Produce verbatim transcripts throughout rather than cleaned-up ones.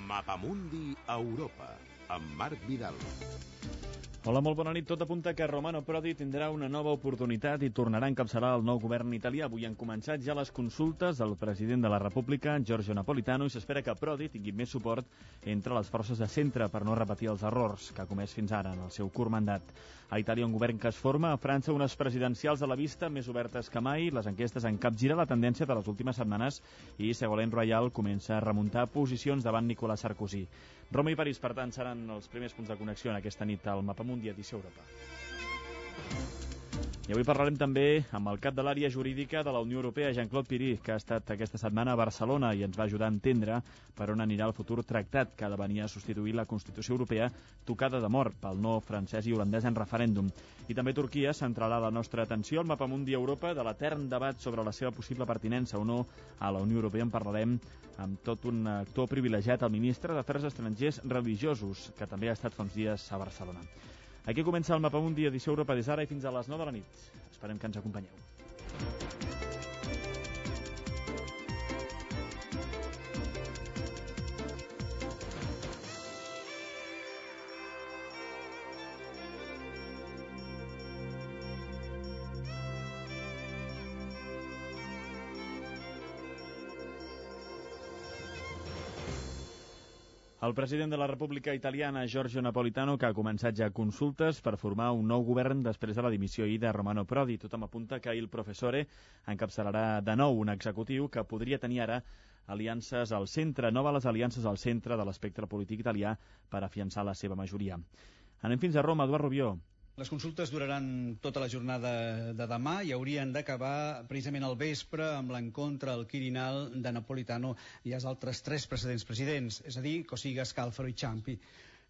Mapamundi Europa, amb Marc Vidal. Hola, molt bona nit. Tot apunta que Romano Prodi tindrà una nova oportunitat i tornarà a encapçalar el nou govern italià. Avui han començat ja les consultes al president de la República, Giorgio Napolitano, i s'espera que Prodi tingui més suport entre les forces de centre per no repetir els errors que ha comès fins ara en el seu curt mandat. A Itàlia un govern que es forma, a França unes presidencials a la vista més obertes que mai, les enquestes han capgirat la tendència de les últimes setmanes i Ségolène Royal comença a remuntar posicions davant Nicolas Sarkozy. Roma i París, per tant, seran els primers punts de connexió en aquesta nit al Mapamundi Edició Europa. I avui parlarem també amb el cap de l'àrea jurídica de la Unió Europea, Jean-Claude Piry, que ha estat aquesta setmana a Barcelona i ens va ajudar a entendre per on anirà el futur tractat que ha de venir a substituir la Constitució Europea tocada de mort pel no francès i holandès en referèndum. I també Turquia centrarà la nostra atenció al Mapamundi Europa de l'etern debat sobre la seva possible pertinença o no a la Unió Europea. En parlarem amb tot un actor privilegiat, el ministre d'Afers Estrangers Religiosos, que també ha estat fa uns dies a Barcelona. Aquí comença el Mapamundi Edició Europa des d'ara i fins a les nou de la nit. Esperem que ens acompanyeu. El president de la República Italiana, Giorgio Napolitano, que ha començat ja consultes per formar un nou govern després de la dimissió ahir de Romano Prodi. Tothom apunta que il professore encapçalarà de nou un executiu que podria tenir ara aliances al centre, noves aliances al centre de l'espectre polític italià per afiançar la seva majoria. Anem fins a Roma, Eduard Rubió. Les consultes duraran tota la jornada de demà i haurien d'acabar precisament al vespre amb l'encontre al Quirinal de Napolitano i els altres tres precedents presidents, és a dir, Cossiga, Scalfaro i Ciampi.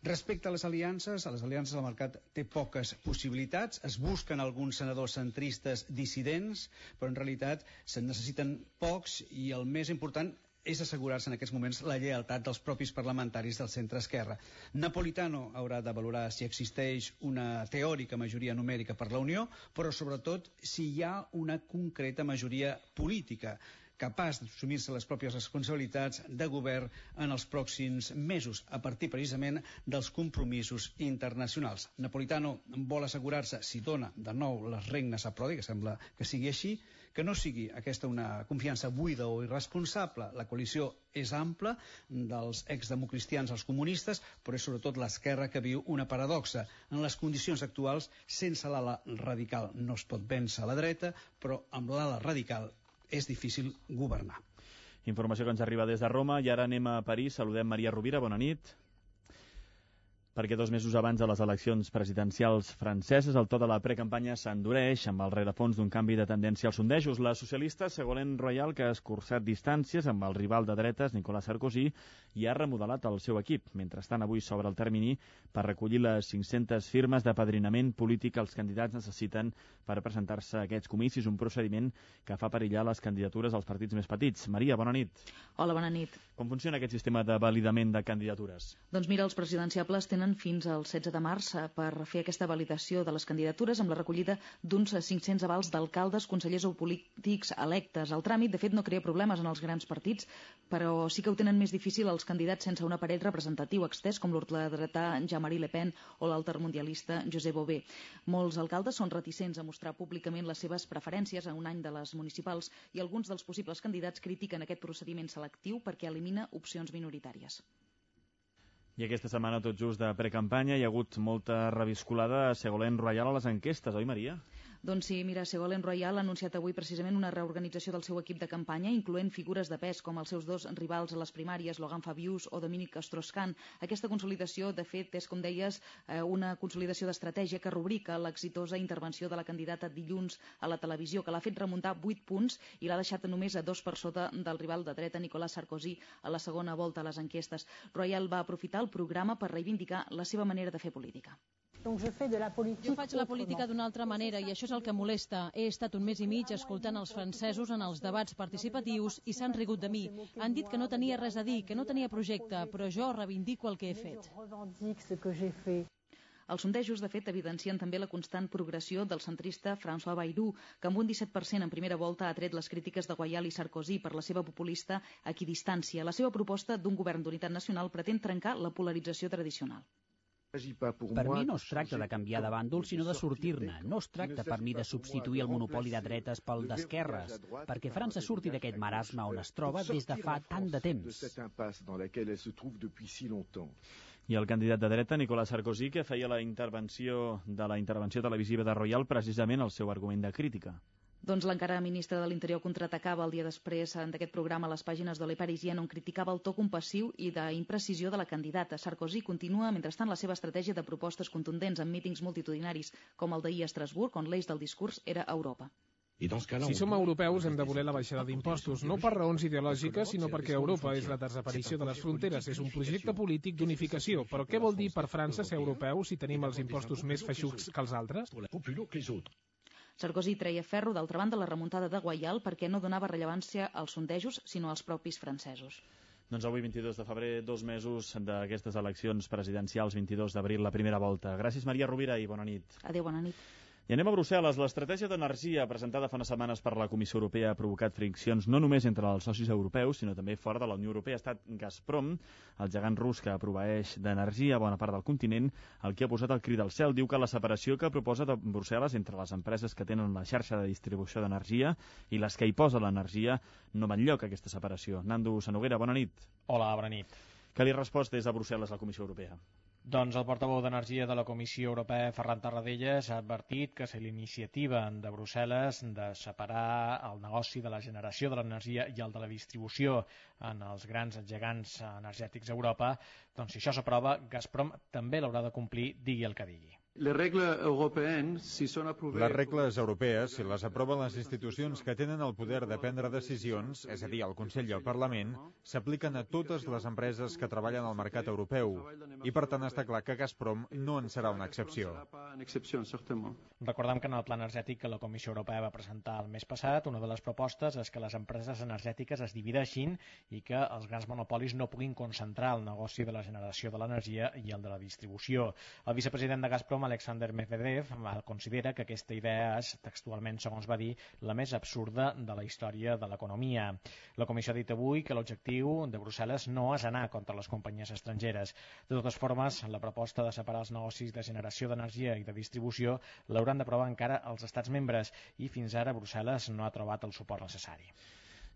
Respecte a les aliances, a les aliances el mercat té poques possibilitats, es busquen alguns senadors centristes dissidents, però en realitat se'n necessiten pocs i el més important és assegurar-se en aquests moments la lleialtat dels propis parlamentaris del centre-esquerra. Napolitano haurà de valorar si existeix una teòrica majoria numèrica per la Unió, però sobretot si hi ha una concreta majoria política capaç d'assumir-se les pròpies responsabilitats de govern en els pròxims mesos, a partir precisament dels compromisos internacionals. Napolitano vol assegurar-se, si dona de nou les regnes a Prodi, que sembla que sigui així, que no sigui aquesta una confiança buida o irresponsable. La coalició és ampla, dels exdemocristians als comunistes, però és sobretot l'esquerra que viu una paradoxa. En les condicions actuals, sense l'ala radical no es pot vèncer a la dreta, però amb l'ala radical és difícil governar. Informació que ens arriba des de Roma i ara anem a París. Saludem Maria Rovira, bona nit. Perquè dos mesos abans de les eleccions presidencials franceses el to de la precampanya s'endureix amb el rerefons d'un canvi de tendència als sondejos. La socialista Ségolène Royal, que ha escurçat distàncies amb el rival de dretes Nicolas Sarkozy, i ha remodelat el seu equip. Mentrestant, avui s'obre el termini per recollir les cinc-centes firmes d'apadrinament polític que els candidats necessiten per presentar-se a aquests comicis, un procediment que fa perillar les candidatures als partits més petits. Maria, bona nit. Hola, bona nit. Com funciona aquest sistema de validament de candidatures? Doncs mira, els presidenciables tenen fins al setze de març per fer aquesta validació de les candidatures amb la recollida d'uns cinc-cents avals d'alcaldes, consellers o polítics electes. El tràmit, de fet, no crea problemes en els grans partits, però sí que ho tenen més difícil els candidats sense un aparell representatiu extès, com l'ultradretà Jean-Marie Le Pen o l'altermundialista Josep Bové. Molts alcaldes són reticents a mostrar públicament les seves preferències a un any de les municipals i alguns dels possibles candidats critiquen aquest procediment selectiu perquè elimina opcions minoritàries. I aquesta setmana, tot just de precampanya, hi ha hagut molta reviscolada a Ségolène Royal a les enquestes, oi, Maria? Doncs sí, mira, Ségolène Royal ha anunciat avui precisament una reorganització del seu equip de campanya, incloent figures de pes com els seus dos rivals a les primàries, Laurent Fabius o Dominique Strauss-Kahn. Aquesta consolidació, de fet, és, com deies, una consolidació d'estratègia que rubrica l'exitosa intervenció de la candidata dilluns a la televisió, que l'ha fet remuntar vuit punts i l'ha deixat només a dos per sota del rival de dreta Nicolas Sarkozy a la segona volta a les enquestes. Royal va aprofitar el programa per reivindicar la seva manera de fer política. Jo faig la política d'una altra manera i això és el que molesta. He estat un mes i mig escoltant els francesos en els debats participatius i s'han rigut de mi. Han dit que no tenia res a dir, que no tenia projecte, però jo reivindico el que he fet. Els sondejos, de fet, evidencien també la constant progressió del centrista François Bayrou, que amb un disset per cent en primera volta ha tret les crítiques de Guaial i Sarkozy per la seva populista equidistància. La seva proposta d'un govern d'unitat nacional pretén trencar la polarització tradicional. Per mi no es tracta de canviar de bàndol, sinó de sortir-ne. No es tracta per mi de substituir el monopoli de dretes pel d'esquerres, perquè França surti d'aquest marasme on es troba des de fa tant de temps. I el candidat de dreta, Nicolas Sarkozy, que feia la intervenció de la intervenció televisiva de Royal precisament el seu argument de crítica. Doncs l'encara ministre de l'Interior contraatacava el dia després d'aquest programa a les pàgines de Le Parisien, on criticava el to compassiu i d'imprecisió de la candidata. Sarkozy continua, mentrestant, la seva estratègia de propostes contundents en mítings multitudinaris, com el d'ahir a Estrasburg, on l'eix del discurs era Europa. Si som europeus hem de voler la baixada d'impostos, no per raons ideològiques, sinó perquè Europa és la desaparició de les fronteres, és un projecte polític d'unificació. Però què vol dir per França ser europeu si tenim els impostos més feixucs que els altres? Sarkozy treia ferro, d'altra banda, la remuntada de Guaial perquè no donava rellevància als sondejos, sinó als propis francesos. Doncs avui, vint-i-dos de febrer, dos mesos d'aquestes eleccions presidencials, vint-i-dos d'abril, la primera volta. Gràcies, Maria Rovira, i bona nit. Adéu, bona nit. I anem a Brussel·les. L'estratègia d'energia presentada fa unes setmanes per la Comissió Europea ha provocat friccions no només entre els socis europeus, sinó també fora de la Unió Europea. Ha estat Gazprom, el gegant rus que proveeix d'energia a bona part del continent, el que ha posat el crit al cel. Diu que la separació que proposa de Brussel·les entre les empreses que tenen la xarxa de distribució d'energia i les que hi posa l'energia no va enlloc, aquesta separació. Nando Sanoguera, bona nit. Hola, bona nit. Què li ha respost des de Brussel·les la Comissió Europea? Doncs el portaveu d'Energia de la Comissió Europea, Ferran Tarradellas, ha advertit que si l'iniciativa de Brussel·les de separar el negoci de la generació de l'energia i el de la distribució en els grans gegants energètics a Europa, doncs si això s'aprova, Gazprom també l'haurà de complir, digui el que digui. Les regles europees, si són aprovades... Les regles europees, si les aproven les institucions que tenen el poder de prendre decisions, és a dir, el Consell i el Parlament, s'apliquen a totes les empreses que treballen al mercat europeu. I, per tant, està clar que Gazprom no en serà una excepció. Recordem que en el pla energètic que la Comissió Europea va presentar el mes passat, una de les propostes és que les empreses energètiques es divideixin i que els grans monopolis no puguin concentrar el negoci de la generació de l'energia i el de la distribució. El vicepresident de Gazprom, Alexander Medvedev, considera que aquesta idea és, textualment, segons va dir, la més absurda de la història de l'economia. La Comissió ha dit avui que l'objectiu de Brussel·les no és anar contra les companyies estrangeres. De totes formes, la proposta de separar els negocis de generació d'energia i de distribució l'hauran d'aprovar encara els estats membres i fins ara Brussel·les no ha trobat el suport necessari.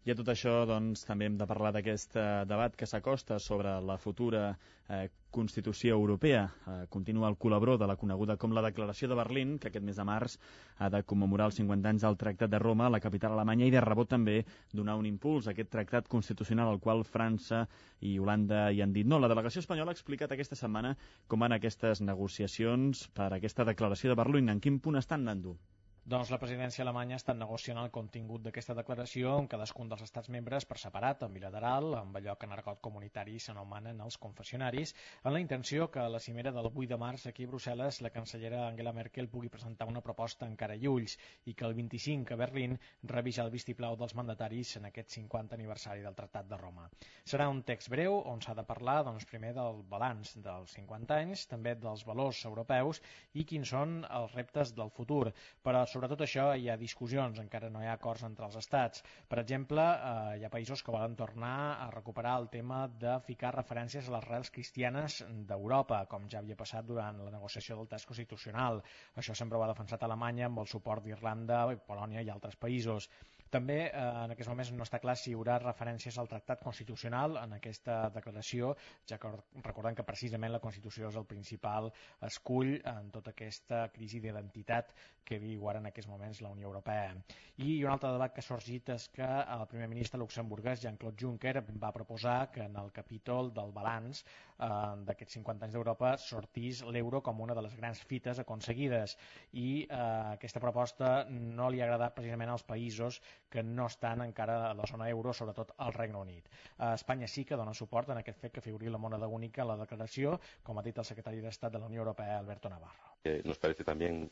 I a tot això, doncs, també hem de parlar d'aquest eh, debat que s'acosta sobre la futura eh, Constitució Europea. Eh, continua el col·labró de la coneguda com la Declaració de Berlín, que aquest mes de març ha de commemorar els cinquanta anys del Tractat de Roma, la capital alemanya, i de rebot també donar un impuls a aquest tractat constitucional al qual França i Holanda hi han dit no. La delegació espanyola ha explicat aquesta setmana com van aquestes negociacions per aquesta Declaració de Berlín. En quin punt estan, Nando? Doncs la presidència alemanya està negociant el contingut d'aquesta declaració amb cadascun dels estats membres per separat, en bilateral, amb allò que en argot comunitari s'anomenen els confessionaris, en la intenció que a la cimera del vuit de març aquí a Brussel·les la cancellera Angela Merkel pugui presentar una proposta encara i ulls i que el vint-i-cinc a Berlín rebi ja el vistiplau dels mandataris en aquest cinquanta aniversari del Tractat de Roma. Serà un text breu on s'ha de parlar doncs, primer del balanç dels cinquanta anys, també dels valors europeus i quins són els reptes del futur. Però sobretot això hi ha discussions, encara no hi ha acords entre els estats. Per exemple, eh, hi ha països que volen tornar a recuperar el tema de ficar referències a les arrels cristianes d'Europa, com ja havia passat durant la negociació del text constitucional. Això sempre ho ha defensat Alemanya amb el suport d'Irlanda, Polònia i altres països. També eh, en aquests moments no està clar si hi haurà referències al tractat constitucional en aquesta declaració, ja que recordem que precisament la Constitució és el principal escull en tota aquesta crisi d'identitat que viu ara en aquests moments la Unió Europea. I un altre debat que ha sorgit és que el primer ministre luxemburguès, Jean-Claude Juncker, va proposar que en el capítol del balanç eh, d'aquests cinquanta anys d'Europa sortís l'euro com una de les grans fites aconseguides. I eh, aquesta proposta no li ha agradat precisament als països que no estan encara a la zona euro, sobretot al Regne Unit. A Espanya sí que dona suport en aquest fet que figuri la moneda única a la declaració, com ha dit el secretari d'Estat de la Unió Europea, Alberto Navarro. Eh, nos parece también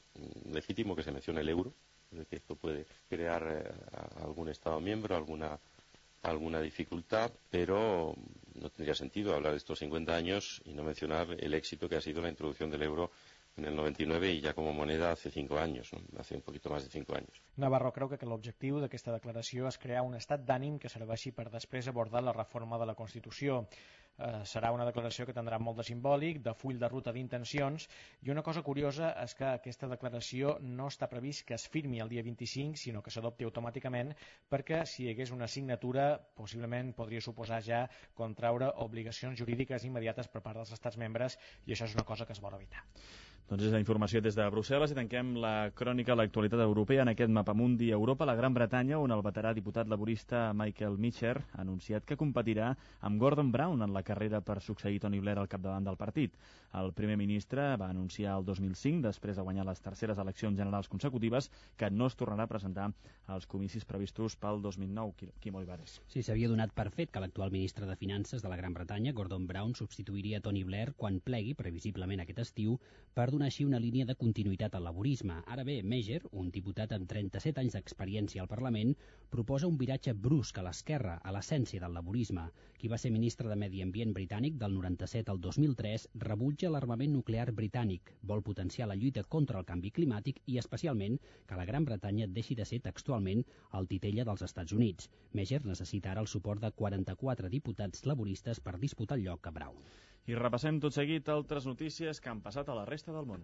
legítimo que se mencione el euro, que esto puede crear eh, algún Estado miembro, alguna, alguna dificultad, pero no tendría sentido hablar de estos cincuenta años y no mencionar el éxito que ha sido la introducción del euro en el noventa y nueve y ya como moneda hace cinco años, ¿no? Hace un poquito más de cinco años. Navarro creu que l'objectiu d'aquesta declaració és crear un estat d'ànim que serveixi per després abordar la reforma de la Constitució. Eh, serà una declaració que tindrà molt de simbòlic, de full de ruta d'intencions, i una cosa curiosa és que aquesta declaració no està previst que es firmi el dia vint-i-cinc, sinó que s'adopti automàticament, perquè si hi hagués una signatura possiblement podria suposar ja contraure obligacions jurídiques immediates per part dels estats membres, i això és una cosa que es vol evitar. Doncs és la informació des de Brussel·les i tanquem la crònica de l'actualitat europea en aquest mapamundi Europa, la Gran Bretanya, on el veterà diputat laborista Michael Meacher ha anunciat que competirà amb Gordon Brown en la carrera per succeir Tony Blair al capdavant del partit. El primer ministre va anunciar el dos mil cinc, després de guanyar les terceres eleccions generals consecutives, que no es tornarà a presentar als comicis previstos pel dos mil nou. Quim Olivares. Sí, s'havia donat per fet que l'actual ministre de Finances de la Gran Bretanya, Gordon Brown, substituiria Tony Blair quan plegui, previsiblement aquest estiu, per donar així una línia de continuïtat al laborisme. Ara bé, Meacher, un diputat amb trenta-set anys d'experiència al Parlament, proposa un viratge brusc a l'esquerra, a l'essència del laborisme. Qui va ser ministre de Medi Ambient britànic del noranta-set al dos mil tres rebutja l'armament nuclear britànic, vol potenciar la lluita contra el canvi climàtic i, especialment, que la Gran Bretanya deixi de ser textualment el titella dels Estats Units. Meacher necessita ara el suport de quaranta-quatre diputats laboristes per disputar el lloc a Brown. I repassem tot seguit altres notícies que han passat a la resta del món.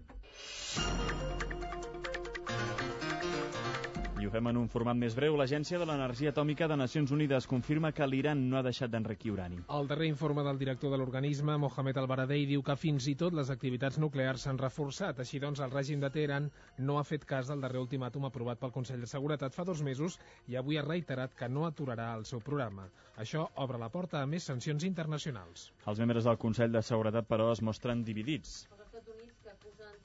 I ho fem en un format més breu. L'Agència de l'Energia Atòmica de Nacions Unides confirma que l'Iran no ha deixat d'enriquir urani. El darrer informe del director de l'organisme, Mohamed Al-Baradei, diu que fins i tot les activitats nuclears s'han reforçat. Així doncs, el règim de Teheran no ha fet cas del darrer ultimàtum aprovat pel Consell de Seguretat fa dos mesos i avui ha reiterat que no aturarà el seu programa. Això obre la porta a més sancions internacionals. Els membres del Consell de Seguretat, però, es mostren dividits.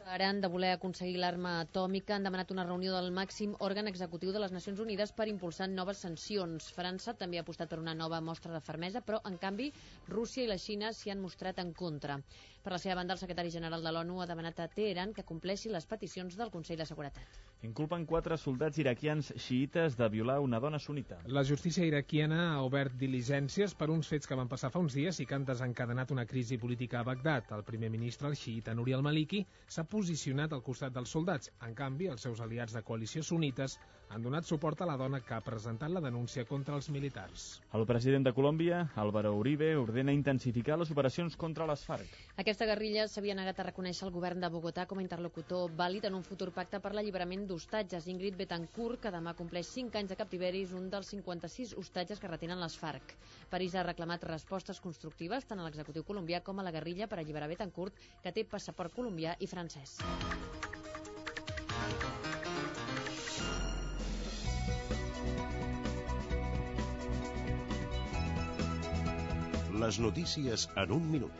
Teheran de voler aconseguir l'arma atòmica han demanat una reunió del màxim òrgan executiu de les Nacions Unides per impulsar noves sancions. França també ha apostat per una nova mostra de fermesa, però, en canvi, Rússia i la Xina s'hi han mostrat en contra. Per la seva banda, el secretari general de l'ONU ha demanat a Teheran que compleixi les peticions del Consell de Seguretat. Inculpen quatre soldats iraquians xiites de violar una dona sunita. La justícia iraquiana ha obert diligències per uns fets que van passar fa uns dies i que han desencadenat una crisi política a Bagdad. El primer ministre, el xiita Nouri al-Maliki, s'ha posicionat al costat dels soldats. En canvi, els seus aliats de coalició sunites han donat suport a la dona que ha presentat la denúncia contra els militars. El president de Colòmbia, Álvaro Uribe, ordena intensificar les operacions contra les FARC. Aquesta guerrilla s'havia negat a reconèixer el govern de Bogotà com a interlocutor vàlid en un futur pacte per l'alliberament d'hostatges. Ingrid Betancourt, que demà compleix cinc anys de captiveri, és un dels cinquanta-sis hostatges que retenen les FARC. París ha reclamat respostes constructives tant a l'executiu colombià com a la guerrilla per alliberar Betancourt, que té passaport colombià i francès. Les notícies en un minut.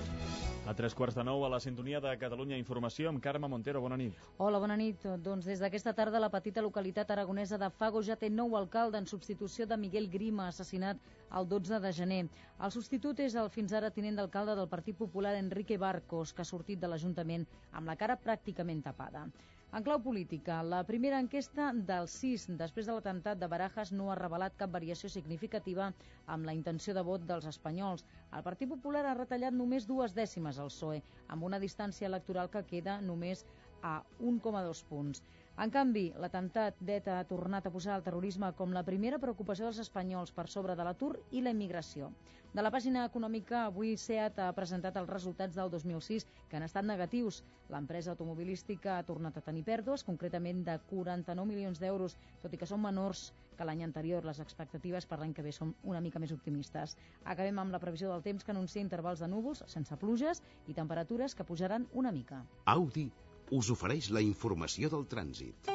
A tres quarts de nou a la sintonia de Catalunya Informació amb Carme Montero. Bona nit. Hola, bona nit. Doncs des d'aquesta tarda la petita localitat aragonesa de Fago ja té nou alcalde en substitució de Miguel Grima, assassinat el dotze de gener. El substitut és el fins ara tinent d'alcalde del Partit Popular Enrique Barcos, que ha sortit de l'Ajuntament amb la cara pràcticament tapada. En clau política, la primera enquesta del sis després de l'atemptat de Barajas no ha revelat cap variació significativa amb la intenció de vot dels espanyols. El Partit Popular ha retallat només dues dècimes al P S O E, amb una distància electoral que queda només a un coma dos punts. En canvi, l'atemptat d'ETA ha tornat a posar el terrorisme com la primera preocupació dels espanyols per sobre de l'atur i la immigració. De la pàgina econòmica, avui SEAT ha presentat els resultats del dos mil sis, que han estat negatius. L'empresa automobilística ha tornat a tenir pèrdues, concretament de quaranta-nou milions d'euros, tot i que són menors que l'any anterior. Les expectatives per l'any que ve són una mica més optimistes. Acabem amb la previsió del temps, que anuncia intervals de núvols sense pluges i temperatures que pujaran una mica. Audi us ofereix la informació del trànsit.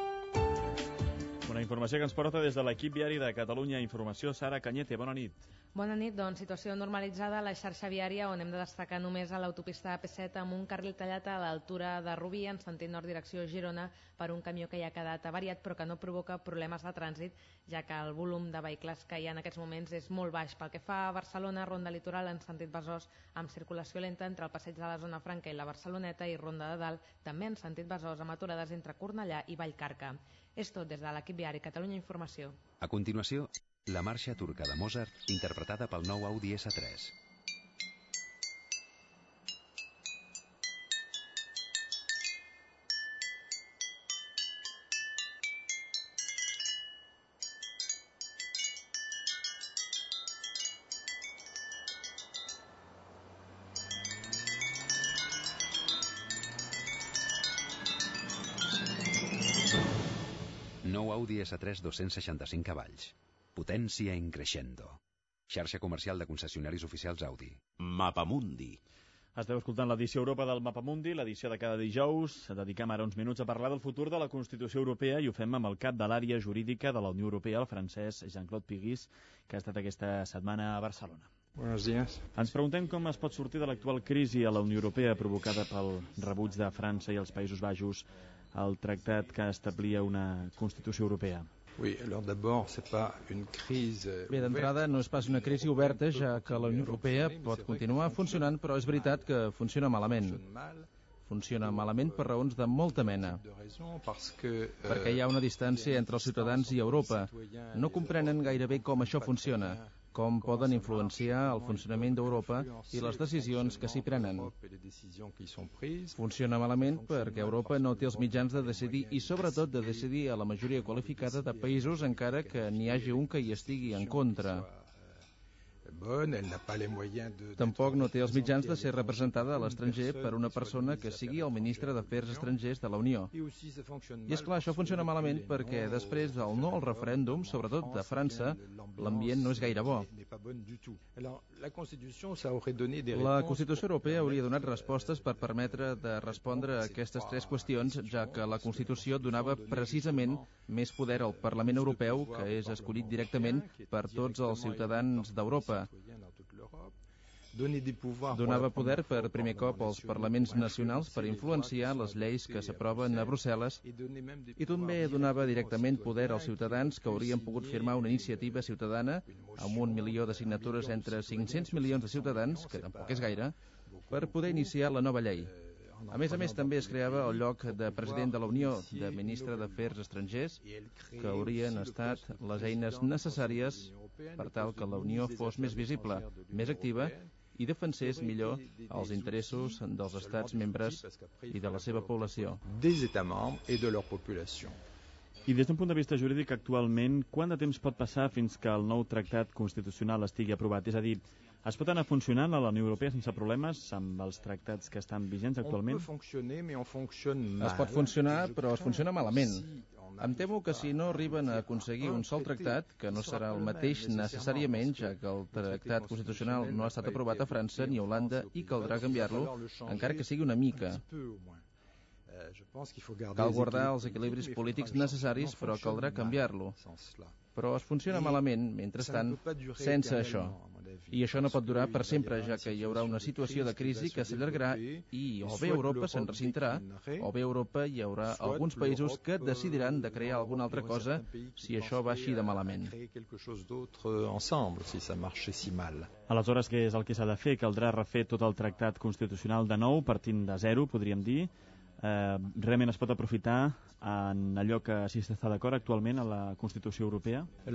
Una informació que ens porta des de l'equip viari de Catalunya Informació. Sara Cañete, bona nit. Bona nit, doncs situació normalitzada a la xarxa viària, on hem de destacar només a l'autopista A P set amb un carril tallat a l'altura de Rubí en sentit nord direcció Girona per un camió que ja ha quedat avariat però que no provoca problemes de trànsit, ja que el volum de vehicles que hi ha en aquests moments és molt baix. Pel que fa a Barcelona, ronda litoral en sentit Besòs amb circulació lenta entre el passeig de la Zona Franca i la Barceloneta, i ronda de dalt també en sentit Besòs amb aturades entre Cornellà i Vallcarca. És tot des de l'equip viari Catalunya Informació. A continuació, la marxa turca de Mozart, interpretada pel nou Audi S tres. Nou Audi essa tres dos-cents seixanta-cinc cavalls. Potència in crescendo. Xarxa comercial de concessionaris oficials Audi. Mapamundi. Esteu escoltant l'edició Europa del Mapamundi, l'edició de cada dijous. Dediquem ara uns minuts a parlar del futur de la Constitució Europea i ho fem amb el cap de l'àrea jurídica de la Unió Europea, el francès Jean-Claude Piguis, que ha estat aquesta setmana a Barcelona. Buenos días. Ens preguntem com es pot sortir de l'actual crisi a la Unió Europea provocada pel rebuig de França i els Països Baixos al tractat que establia una Constitució Europea. Oui, alors d'abord, c'est pas une crise. Bé, d'entrada no és pas una crisi oberta, ja que la Unió Europea pot continuar funcionant, però és veritat que funciona malament. Funciona malament per raons de molta mena. Perquè hi ha una distància entre els ciutadans i Europa. No comprenen gaire bé com això funciona, com poden influenciar el funcionament d'Europa i les decisions que s'hi prenen. Funciona malament perquè Europa no té els mitjans de decidir i sobretot de decidir a la majoria qualificada de països encara que n'hi hagi un que hi estigui en contra. Tampoc no té els mitjans de ser representada a l'estranger per una persona que sigui el ministre d'Afers Estrangers de la Unió. I és clar, això funciona malament perquè després del no al referèndum, sobretot de França, l'ambient no és gaire bo. La Constitució Europea hauria donat respostes per permetre de respondre a aquestes tres qüestions, ja que la Constitució donava precisament més poder al Parlament Europeu, que és escollit directament per tots els ciutadans d'Europa. Donava poder per primer cop als parlaments nacionals per influenciar les lleis que s'aproven a Brussel·les i també donava directament poder als ciutadans que haurien pogut firmar una iniciativa ciutadana amb un milió de signatures entre cinc-cents milions de ciutadans, que tampoc és gaire, per poder iniciar la nova llei. A més a més, també es creava el lloc de president de la Unió, de ministre d'Afers Estrangers, que haurien estat les eines necessàries per tal que la Unió fos més visible, més activa i defensés millor els interessos dels estats membres i de la seva població. I des d'un punt de vista jurídic, actualment, quant de temps pot passar fins que el nou tractat constitucional estigui aprovat? És a dir, es pot anar funcionant a la Unió Europea sense problemes amb els tractats que estan vigents actualment? Es pot funcionar, però es funciona malament. Em temo que si no arriben a aconseguir un sol tractat, que no serà el mateix necessàriament, ja que el tractat constitucional no ha estat aprovat a França ni a Holanda i caldrà canviar-lo, encara que sigui una mica. Cal guardar els equilibris polítics necessaris, però caldrà canviar-lo. Però es funciona malament, mentrestant, sense això. I això no pot durar per sempre, ja que hi haurà una situació de crisi que s'allargarà i o bé Europa se'n recintarà, o bé Europa hi haurà alguns països que decidiran de crear alguna altra cosa si això va així de malament. Aleshores, què és el que s'ha de fer? Caldrà refer tot el tractat constitucional de nou, partint de zero, podríem dir. Eh, realment es pot aprofitar en allò que si s'està d'acord actualment a la Constitució Europea? El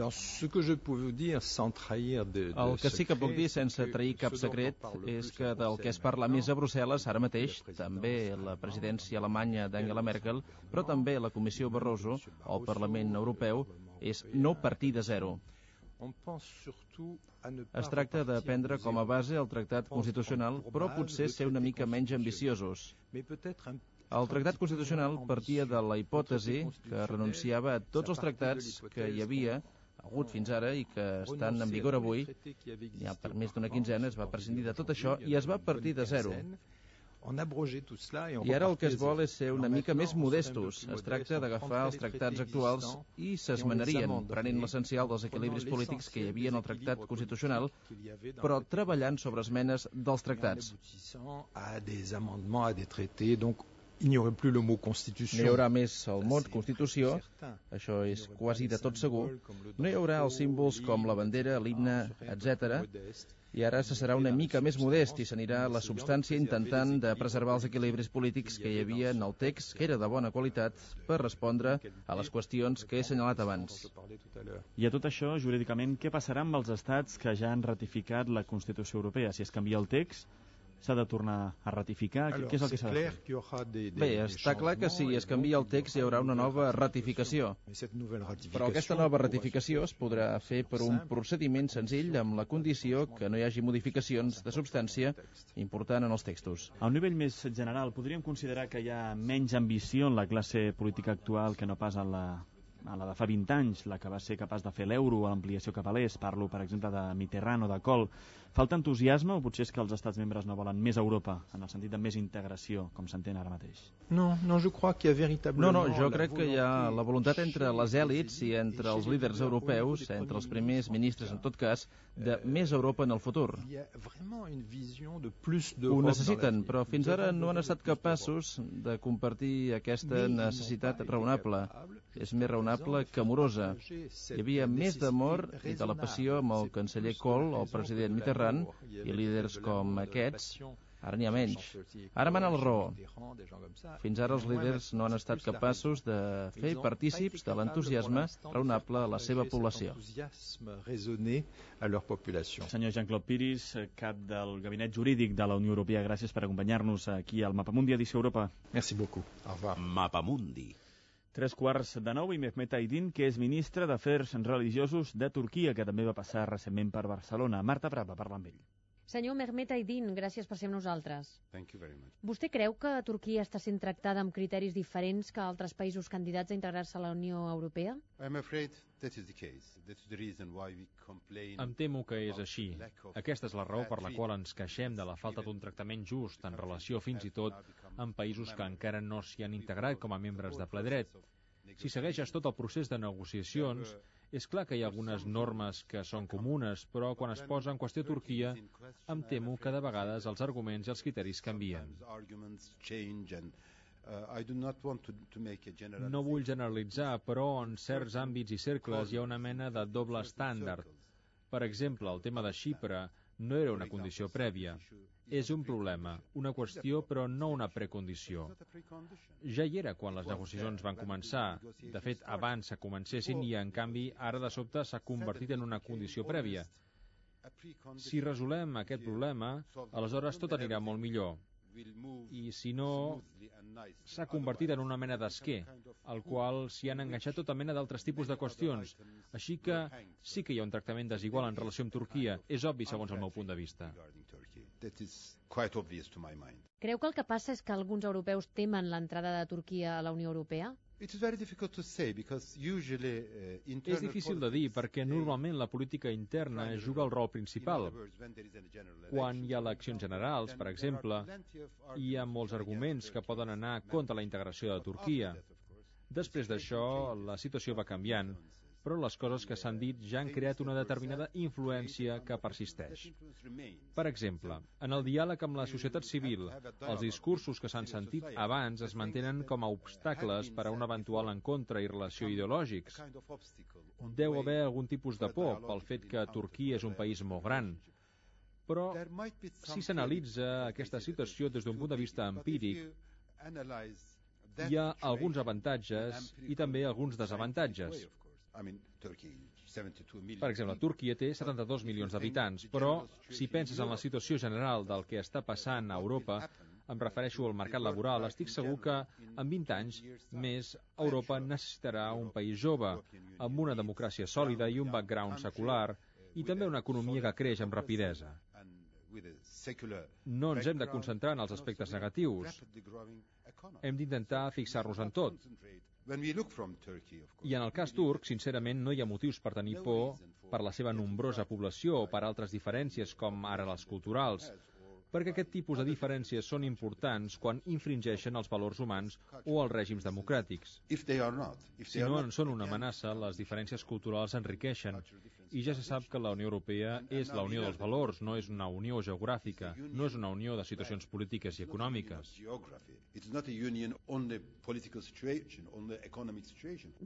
que sí que puc dir sense trair cap secret és que del que es parla més a Brussel·les ara mateix, també la presidència alemanya d'Angela Merkel, però també la Comissió Barroso o el Parlament Europeu, és no partir de zero. Es tracta de prendre com a base el tractat constitucional, però potser ser una mica menys ambiciosos. El tractat constitucional partia de la hipòtesi que renunciava a tots els tractats que hi havia hagut fins ara i que estan en vigor avui. Ja per més d'una quinzena es va prescindir de tot això i es va partir de zero. I ara el que es vol és ser una mica més modestos. Es tracta d'agafar els tractats actuals i s'esmenarien, prenent l'essencial dels equilibris polítics que hi havia en el tractat constitucional, però treballant sobre esmenes dels tractats. No hi haurà més el mot Constitució, això és quasi de tot segur. No hi haurà els símbols com la bandera, l'himne, etcètera. I ara se serà una mica més modest i s'anirà a la substància intentant de preservar els equilibris polítics que hi havia en el text, que era de bona qualitat, per respondre a les qüestions que he assenyalat abans. I a tot això, jurídicament, què passarà amb els estats que ja han ratificat la Constitució Europea? Si es canvia el text, s'ha de tornar a ratificar? Què és el que s'ha de fer? Bé, està clar que si es canvia el text hi haurà una nova ratificació. Però aquesta nova ratificació es podrà fer per un procediment senzill amb la condició que no hi hagi modificacions de substància important en els textos. A un nivell més general, podríem considerar que hi ha menys ambició en la classe política actual que no pas en la a la de fa vint anys, la que va ser capaç de fer l'euro o l'ampliació cap a l'est, parlo per exemple de Mitterrand o de Kohl. Falta entusiasme o potser és que els estats membres no volen més Europa, en el sentit de més integració, com s'entén ara mateix? No, no, je crois qu'il y a véritablement... No, no, jo crec que hi ha la voluntat entre les èlits i entre els líders europeus, entre els primers ministres en tot cas, de més Europa en el futur. Ho necessiten, però fins ara no han estat capaços de compartir aquesta necessitat raonable. És més raonable que amorosa. Hi havia més d'amor i de la passió amb el canceller Kohl o el president Mitterrand i líders com aquests. Ara n'hi ha menys. Ara mana la raó. Fins ara els líders no han estat capaços de fer partícips de l'entusiasme raonable a la seva població. Senyor Jean-Claude Piris, cap del Gabinet Jurídic de la Unió Europea, gràcies per acompanyar-nos aquí al Mapamundi Edició Europa. Merci beaucoup. Au revoir. Mapamundi. Tres quarts de nou i Mehmet Aydin, que és ministre d'Afers Religiosos de Turquia, que també va passar recentment per Barcelona. Marta Prat va parlar amb ell. Senyor Mehmet Aydin, gràcies per ser amb nosaltres. Thank you very much. Vostè creu que Turquia està sent tractada amb criteris diferents que altres països candidats a integrar-se a la Unió Europea? I'm afraid that is the case. That's the reason why we complain. Em temo que és així. Aquesta és la raó per la qual ens queixem de la falta d'un tractament just en relació fins i tot amb països que encara no s'hi han integrat com a membres de ple dret. Si segueixes tot el procés de negociacions, és clar que hi ha algunes normes que són comunes, però quan es posa en qüestió Turquia, em temo que de vegades els arguments i els criteris canvien. No vull generalitzar, però en certs àmbits i cercles hi ha una mena de doble estàndard. Per exemple, el tema de Xipre no era una condició prèvia. És un problema, una qüestió, però no una precondició. Ja hi era quan les negociacions van començar. De fet, abans que comencessin i, en canvi, ara de sobte s'ha convertit en una condició prèvia. Si resolem aquest problema, aleshores tot anirà molt millor. I si no, s'ha convertit en una mena d'esquer, al qual s'hi han enganxat tota mena d'altres tipus de qüestions. Així que sí que hi ha un tractament desigual en relació amb Turquia. És obvi, segons el meu punt de vista. Creu que el que passa és que alguns europeus temen l'entrada de Turquia a la Unió Europea? It's very difficult to say because usually uh, És difícil de dir perquè normalment la política interna juga el rol principal. Quan hi ha eleccions generals, per exemple, hi ha molts arguments que poden anar contra la integració de Turquia. Després d'això, la situació va canviant, però les coses que s'han dit ja han creat una determinada influència que persisteix. Per exemple, en el diàleg amb la societat civil, els discursos que s'han sentit abans es mantenen com a obstacles per a un eventual encontre i relació ideològics. Deu haver algun tipus de por pel fet que Turquia és un país molt gran. Però, si s'analitza aquesta situació des d'un punt de vista empíric, hi ha alguns avantatges i també alguns desavantatges. Per exemple, Turquia té setanta-dos milions d'habitants, però si penses en la situació general del que està passant a Europa, em refereixo al mercat laboral, estic segur que en vint anys més Europa necessitarà un país jove, amb una democràcia sòlida i un background secular, i també una economia que creix amb rapidesa. No ens hem de concentrar en els aspectes negatius. Hem d'intentar fixar-nos en tot. I en el cas turc, sincerament, no hi ha motius per tenir por per la seva nombrosa població o per altres diferències com ara les culturals, perquè aquest tipus de diferències són importants quan infringeixen els valors humans o els règims democràtics. Si no en són una amenaça, les diferències culturals enriqueixen, i ja se sap que la Unió Europea és la unió dels valors, no és una unió geogràfica, no és una unió de situacions polítiques i econòmiques.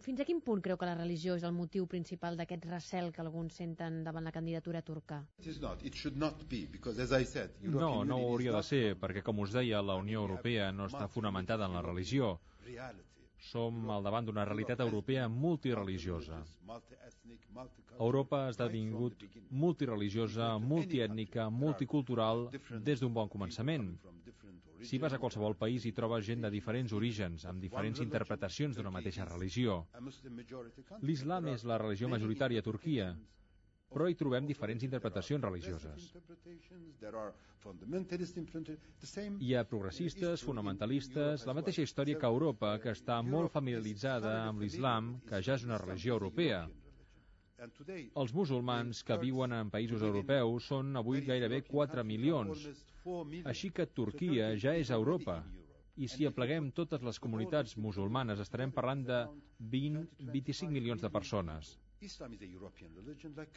Fins a quin punt creu que la religió és el motiu principal d'aquest recel que alguns senten davant la candidatura turca? No, no ho hauria de ser, perquè, com us deia, la Unió Europea no està fonamentada en la religió. Som al davant d'una realitat europea multireligiosa. Europa ha esdevingut multireligiosa, multiètnica, multicultural des d'un bon començament. Si vas a qualsevol país hi trobes gent de diferents orígens, amb diferents interpretacions d'una mateixa religió. L'islam és la religió majoritària a Turquia, però hi trobem diferents interpretacions religioses. Hi ha progressistes, fonamentalistes, la mateixa història que Europa, que està molt familiaritzada amb l'islam, que ja és una religió europea. Els musulmans que viuen en països europeus són avui gairebé quatre milions, així que Turquia ja és Europa. I si apleguem totes les comunitats musulmanes estarem parlant de vint a vint-i-cinc milions de persones.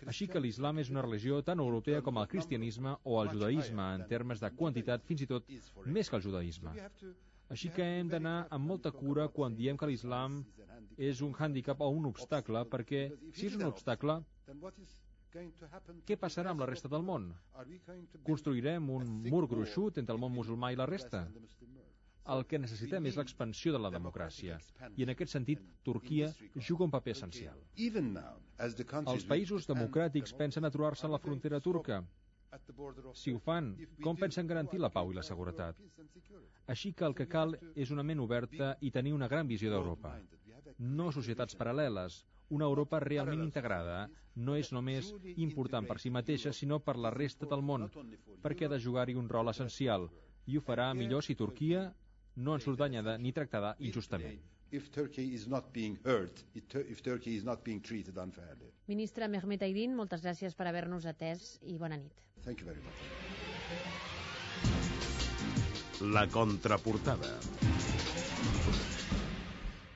Així que l'islam és una religió tan europea com el cristianisme o el judaïsme, en termes de quantitat, fins i tot més que el judaïsme. Així que hem d'anar amb molta cura quan diem que l'islam és un hàndicap o un obstacle, perquè si és un obstacle, què passarà amb la resta del món? Construirem un mur gruixut entre el món musulmà i la resta? El que necessitem és l'expansió de la democràcia, i en aquest sentit Turquia juga un paper essencial. Els països democràtics pensen aturar-se a la frontera turca. Si ho fan, com pensen garantir la pau i la seguretat? Així que el que cal és una ment oberta i tenir una gran visió d'Europa. No societats paral·leles. Una Europa realment integrada no és només important per si mateixa, sinó per la resta del món, perquè ha de jugar-hi un rol essencial, i ho farà millor si Turquia no en surt danyada ni tractada injustament. Ministre Mehmet Aydin, moltes gràcies per haver-nos atès i bona nit. La contraportada.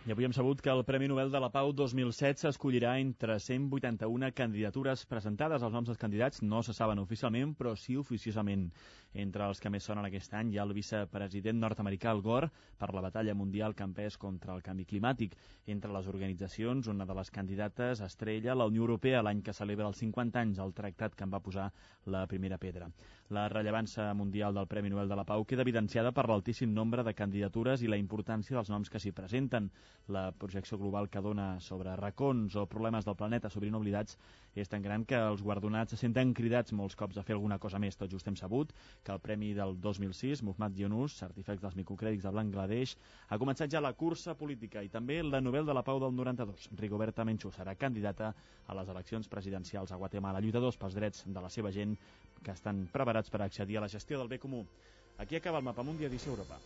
I avui hem sabut que el Premi Nobel de la Pau dos mil setze escollirà entre cent vuitanta-una candidatures presentades. Els noms dels candidats no se saben oficialment, però sí oficiosament. Entre els que més sonen aquest any hi ha el vicepresident nord-americà Al Gore per la batalla mundial que ha empès contra el canvi climàtic. Entre les organitzacions, una de les candidates estrella, la Unió Europea, l'any que celebra els cinquanta anys del tractat que en va posar la primera pedra. La rellevància mundial del Premi Nobel de la Pau queda evidenciada per l'altíssim nombre de candidatures i la importància dels noms que s'hi presenten. La projecció global que dona sobre racons o problemes del planeta sovint oblidats és tan gran que els guardonats se senten cridats molts cops a fer alguna cosa més. Tot just hem sabut que el Premi del dos mil sis, Muhammad Yunus, artífex dels microcrèdits de Bangladesh, ha començat ja la cursa política i també la Nobel de la Pau del noranta-dos. Rigoberta Menchú serà candidata a les eleccions presidencials a Guatemala, lluitadors pels drets de la seva gent que estan preparats per accedir a la gestió del bé comú. Aquí acaba el Mapamundi edició Europa.